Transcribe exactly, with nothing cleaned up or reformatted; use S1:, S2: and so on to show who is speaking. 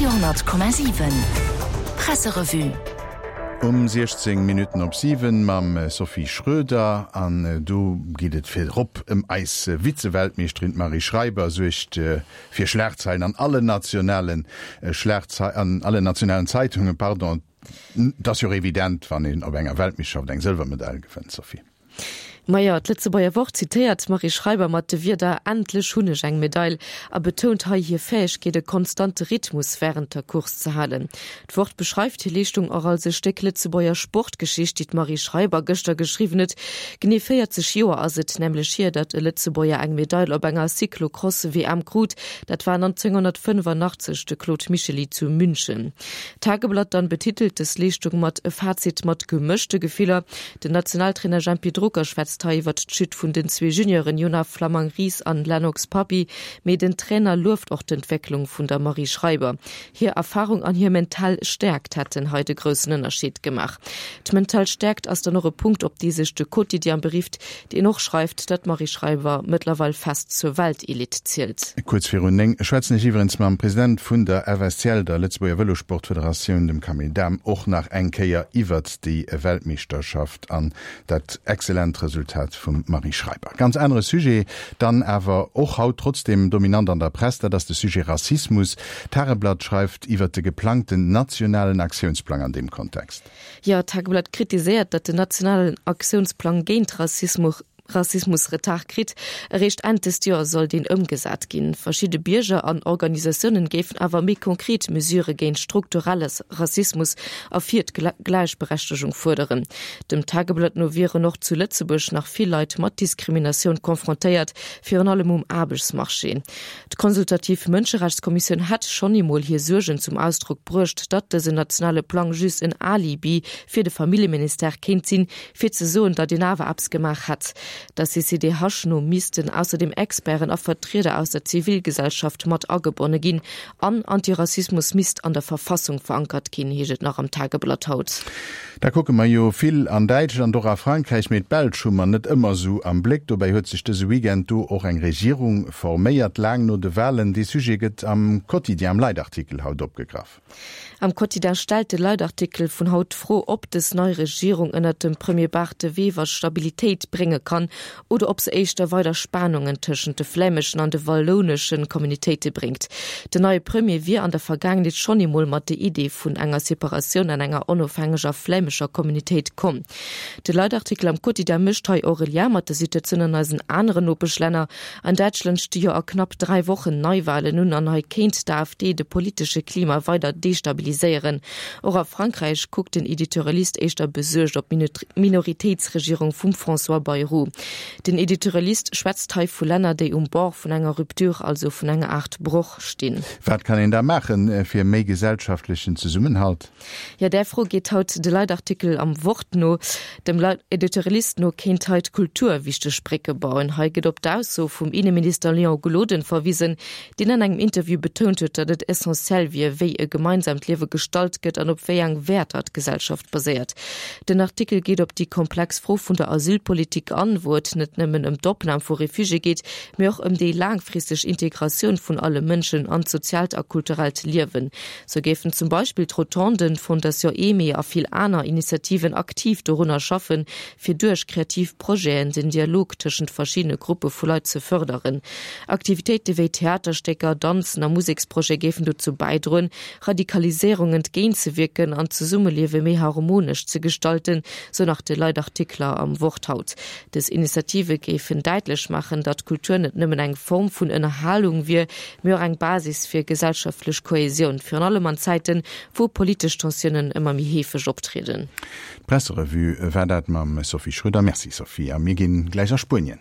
S1: Radio honnert Komma siwen Presserevue.
S2: Um siechzéng Minutten op siwen mam Sophie Schröder an do geet et virop ëm eis Vize-Weltmeeschterin d'Marie Schreiber suergt fir Schlagzeilen an allen nationalen Schlagzei an allen nationalen Zeitungen, pardon. Et ass jo och evident, wann een op enger Weltmeeschterschaft eng Sëlwermedail gewënnt, Sophie.
S3: Majo, d'Lëtzebuerger Wort zitéiert d'Marie Schreiber mat de Wierder Endlech hunn ech eng Medail a betount hei hir Fäegkeet, e konstante Rhythmus wärend der Course ze halen. D'Wort beschreift hir Leeschtung och als e Stéck Lëtzebuerger Sportgeschicht, déi d'Marie Schreiber gëschter geschriwwen huet. Genee véierzeg Joer ass et nämlech hier, datt e Lëtzebuerger eng Medail op enger Cyclocross-W M krut. Dat war nonzénghonnertfënnefannachtzeg de Claude Michely zu München. D'Tageblatt dann betitelt dës Leeschtung mat E Fazit mat gemëschte Gefiller. Den Nationaltrainer Jempy Drucker schwätzt hei iwwert d'Chute vun den zwee Junioren Jonah Flammang-Ries an Lennox Papi, mee den Trainer lueft och d'Entwécklung vun der Marie Schreiber. Hir Erfarung an hir mental Stäerkt hätten hei de groussen Ënnerscheed gemaach. D'mental Stäerkt ass dann och e Punkt, op dee sech de Quotidien berifft, deen och schreift, datt d'Marie Schreiber mëttlerweil fest zur Weltelite zielt.
S2: Kuerz virun néng schwätzen ech iwwerens mam President vun der F S C L, der Lëtzebuerger Vëlosportfederatioun, dem Camille Dahm, och nach eng Kéier iwwert déi Weltmeeschterschaft an dat exzellent Resultat vum Marie Schreiber. Ganz anere Sujet dann awer och haut trotzdem dominant an der Press, dat ass de Sujet Rassismus. D'Tageblatt schreift iwwert de geplangten nationalen Aktiounsplang an deem Kontext.
S3: Jo, d'Tageblatt kritiséiert, datt den nationalen Aktiounsplang géint Rassismus Rassismus Retard kritt. Eréischt Enn dëst Joer soll deen ëmgesat ginn. Verschidde Bierger an Organisatiounen géifen awer méi konkret Mesure géint strukturelle Rassismus a fir d'Gläichberechtegung fuerderen. Dem Tageblatt no wieren och zu Lëtzebuerg nach vill Leit mat Diskriminatioun confrontéiert, virun allem um Aarbechtsmarché. D'Consultativ Mënscherechtskommissioun hätt schonn eemol hir Suergen zum Ausdrock bruecht, datt dësen nationale Plang just en Alibi fir de Familljeministère kéint sinn, fir ze soen, datt een awer eppes gemaach hätt. Der C C D H no missten ausserdeem Experten a Vertrieder aus der Zivilgesellschaft mat agebonne ginn an Antirassismus misst an der Verfassung verankert ginn, heescht et nach am Tageblatt haut.
S2: Da kucke mer jo vill an Däitschland, och a Frankräich, mee d'Belsch hu mer net ëmmer esou am Bléck. Dobäi huet sech dëse Weekend do och eng Regierung forméiert, laang no de Walen. Dee Sujet gëtt am Quotidien am Leitartikel haut opgegraff.
S3: Am Quotidien stellt de Leitartikel vun haut d'Fro, ob dës nei Regierung ënnert dem Premier Bart De Wever Stabilitéit brénge kann oder ob se éischter weider Spannungen tëschent de flämeschen an de wallounesche Communautéite bréngt. Den neie Premier wier an der Vergaangenheet schonn eemol mat der Idee vun enger Separatioun an enger onofhängeger flämescher Communautéit komm. De Leitartikel am Quotidien mécht hei och e Lien mat der Situatioun an eisen aneren Nopeschlänner. An Däitschland sti jo a knapp dräi Wochen Neiwalen un an hei kéint d'AfD de politesche Klima weider destabiliséieren. Och a Frankräich kuckt den Editorialist éischter besuergt op d'Minoritéitsregierung vum François Bayrou. Den Editorialist schwätzt hei vu Länner, déi um Bord vun enger Rupture, also vun enger Aart Broch stinn.
S2: Wat kann een da maachen fir méi gesellschaftlechen Zesummenhalt?
S3: Jo, där Fro geet haut de Leitartikel am Wort no. Dem Editorialist no kéint hei d'Kultur wichteg Brécke bauen. Hei gëtt op d'Ausso vum Inneminister Léon Gloden verwisen, deen an engem Interview betount huet, datt et essentiell wier, wéi e gemeinsamt Liewe gestalt gëtt an op wéi eng Wäerter d'Gesellschaft baséiert. Den Artikel geet op déi komplex Fro vun der Asylpolitik an, wou et net nëmmen ëm d'Opnam vu Refugiéë geet, mee och ëm déi laangfristeg Integratioun vun alle Mënschen an d'soziaalt a kulturellt Liewen. Sou géifen zum Beispill d'Rotonden, d'Fondation Aimée a vill aner Initiativen aktiv dorunner schaffen, fir duerch kreativ Projeten den Dialog tëschent verschiddene Gruppe vu Leit ze fërderen. Aktivitéite wéi Theaterstécker, Danzen a Museksprojete géifen dozou bäidroen, Radikaliséierung entgéintzewierken an d'Zesummeliewe méi harmonesch ze gestalten, sou nach de Leitartikler am Wort haut. Dës Initiative géifen däitlech maachen, datt Kultur net nëmmen eng Form vun Ënnerhalung wier, mee och eng Basis fir gesellschaftlech Kohäsioun, virun allem an Zäiten, wou politesch Tensiounen ëmmer méi heefeg optrieden.
S2: D'Presserevue war dat mam Sophie Schröder. Merci Sophie. A mir ginn gläich a Spuenien.